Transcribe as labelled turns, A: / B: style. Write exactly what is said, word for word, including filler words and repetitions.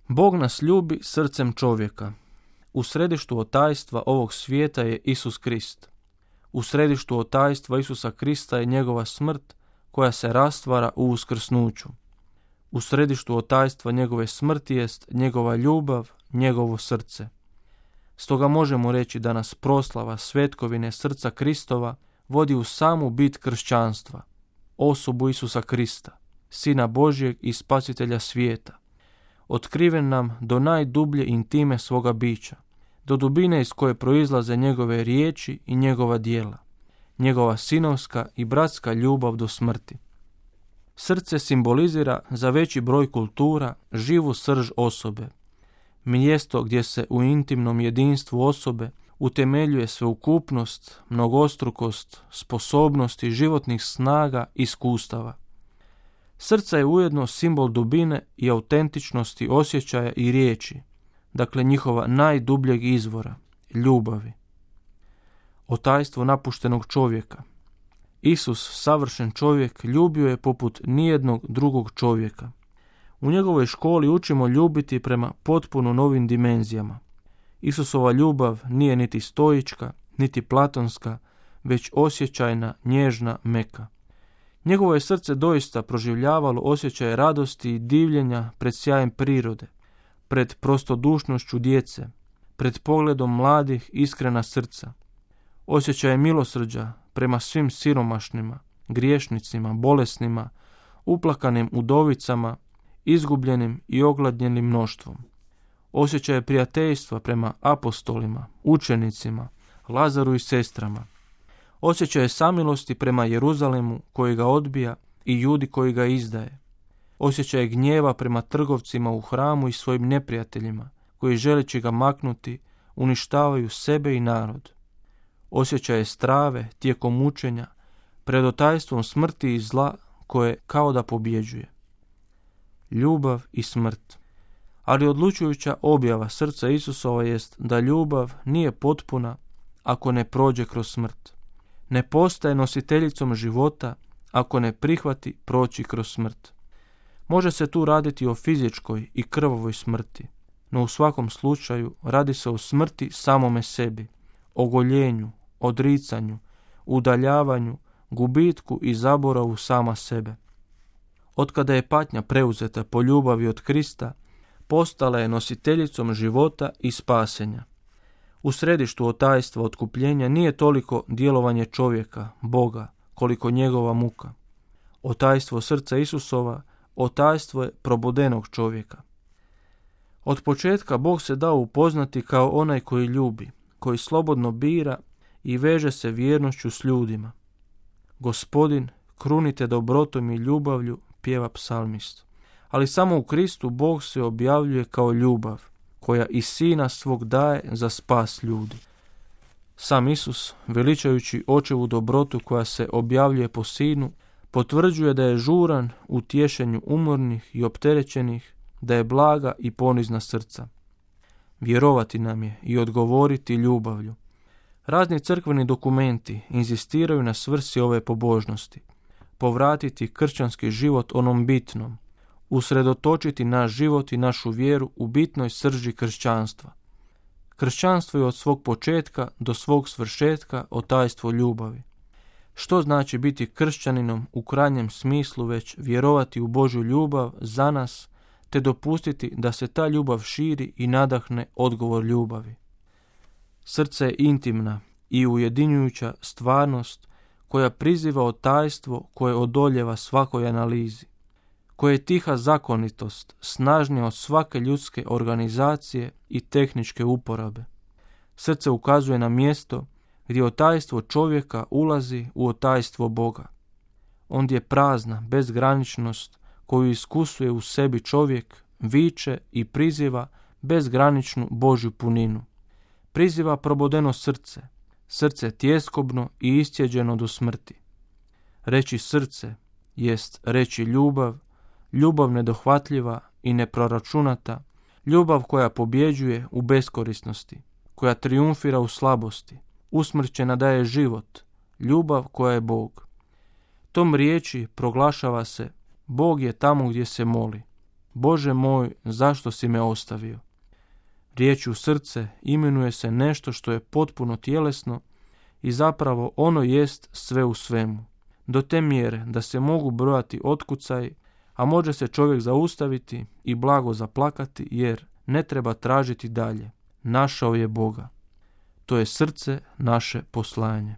A: Bog nas ljubi srcem čovjeka. U središtu otajstva ovog svijeta je Isus Krist. U središtu otajstva Isusa Krista je njegova smrt koja se rastvara u uskrsnuću. U središtu otajstva njegove smrti jest njegova ljubav, njegovo srce. Stoga možemo reći da nas proslava svetkovine srca Kristova vodi u samu bit kršćanstva, osobu Isusa Krista, Sina Božjeg i Spasitelja svijeta, otkriven nam do najdublje intime svoga bića, do dubine iz koje proizlaze njegove riječi i njegova djela, njegova sinovska i bratska ljubav do smrti. Srce simbolizira za veći broj kultura živu srž osobe, mjesto gdje se u intimnom jedinstvu osobe utemeljuje sveukupnost, mnogostrukost, sposobnosti životnih snaga i iskustava. Srce je ujedno simbol dubine i autentičnosti osjećaja i riječi, dakle njihova najdubljeg izvora, ljubavi. Otajstvo napuštenog čovjeka. Isus, savršen čovjek, ljubio je poput nijednog drugog čovjeka. U njegovoj školi učimo ljubiti prema potpuno novim dimenzijama. Isusova ljubav nije niti stoička, niti platonska, već osjećajna, nježna, meka. Njegovo je srce doista proživljavalo osjećaje radosti i divljenja pred sjajem prirode, pred prostodušnošću djece, pred pogledom mladih iskrena srca. Osjećaje milosrđa prema svim siromašnima, griješnicima, bolesnima, uplakanim udovicama, izgubljenim i ogladnjenim mnoštvom. Osjećaje prijateljstva prema apostolima, učenicima, Lazaru i sestrama. Osjećaje samilosti prema Jeruzalemu koji ga odbija i Judi koji ga izdaje. Osjećaje gnjeva prema trgovcima u hramu i svojim neprijateljima koji želeći ga maknuti uništavaju sebe i narod. Osjećaje strave tijekom mučenja pred otajstvom smrti i zla koje kao da pobjeđuje. Ljubav i smrt. Ali odlučujuća objava srca Isusova jest da ljubav nije potpuna ako ne prođe kroz smrt. Ne postaje nositeljicom života ako ne prihvati proći kroz smrt. Može se tu raditi o fizičkoj i krvavoj smrti, no u svakom slučaju radi se o smrti samome sebi, ogoljenju, odricanju, udaljavanju, gubitku i zaboravu sama sebe. Otkada je patnja preuzeta po ljubavi od Krista, postala je nositeljicom života i spasenja. U središtu otajstva otkupljenja nije toliko djelovanje čovjeka, Boga, koliko njegova muka. Otajstvo srca Isusova, otajstvo je probudenog čovjeka. Od početka Bog se dao upoznati kao onaj koji ljubi, koji slobodno bira i veže se vjernošću s ljudima. Gospodin, krunite dobrotom i ljubavlju, pjeva psalmist. Ali samo u Kristu Bog se objavljuje kao ljubav, koja i Sina svog daje za spas ljudi. Sam Isus, veličajući očevu dobrotu koja se objavljuje po Sinu, potvrđuje da je žuran u tješenju umornih i opterećenih, da je blaga i ponizna srca. Vjerovati nam je i odgovoriti ljubavlju. Razni crkveni dokumenti inzistiraju na svrsi ove pobožnosti. Povratiti kršćanski život onom bitnom, usredotočiti naš život i našu vjeru u bitnoj srži kršćanstva. Kršćanstvo je od svog početka do svog svršetka otajstvo ljubavi. Što znači biti kršćaninom u krajnjem smislu već vjerovati u Božju ljubav za nas, te dopustiti da se ta ljubav širi i nadahne odgovor ljubavi. Srce je intimna i ujedinjujuća stvarnost koja priziva otajstvo koje odoljeva svakoj analizi, koje je tiha zakonitost, snažnija od svake ljudske organizacije i tehničke uporabe. Srce ukazuje na mjesto gdje otajstvo čovjeka ulazi u otajstvo Boga. Ondje je prazna bezgraničnost koju iskusuje u sebi čovjek, viče i priziva bezgraničnu Božju puninu. Priziva probodeno srce, srce tjeskobno i iscijeđeno do smrti. Reći srce jest reći ljubav, ljubav nedohvatljiva i neproračunata, ljubav koja pobjeđuje u beskorisnosti, koja trijumfira u slabosti, usmrćena daje život, ljubav koja je Bog. Tom riječi proglašava se Bog je tamo gdje se moli, Bože moj, zašto si me ostavio? Riječju srce imenuje se nešto što je potpuno tjelesno i zapravo ono jest sve u svemu. Do te mjere da se mogu brojati otkucaj, a može se čovjek zaustaviti i blago zaplakati jer ne treba tražiti dalje. Našao je Boga. To je srce naše poslanje.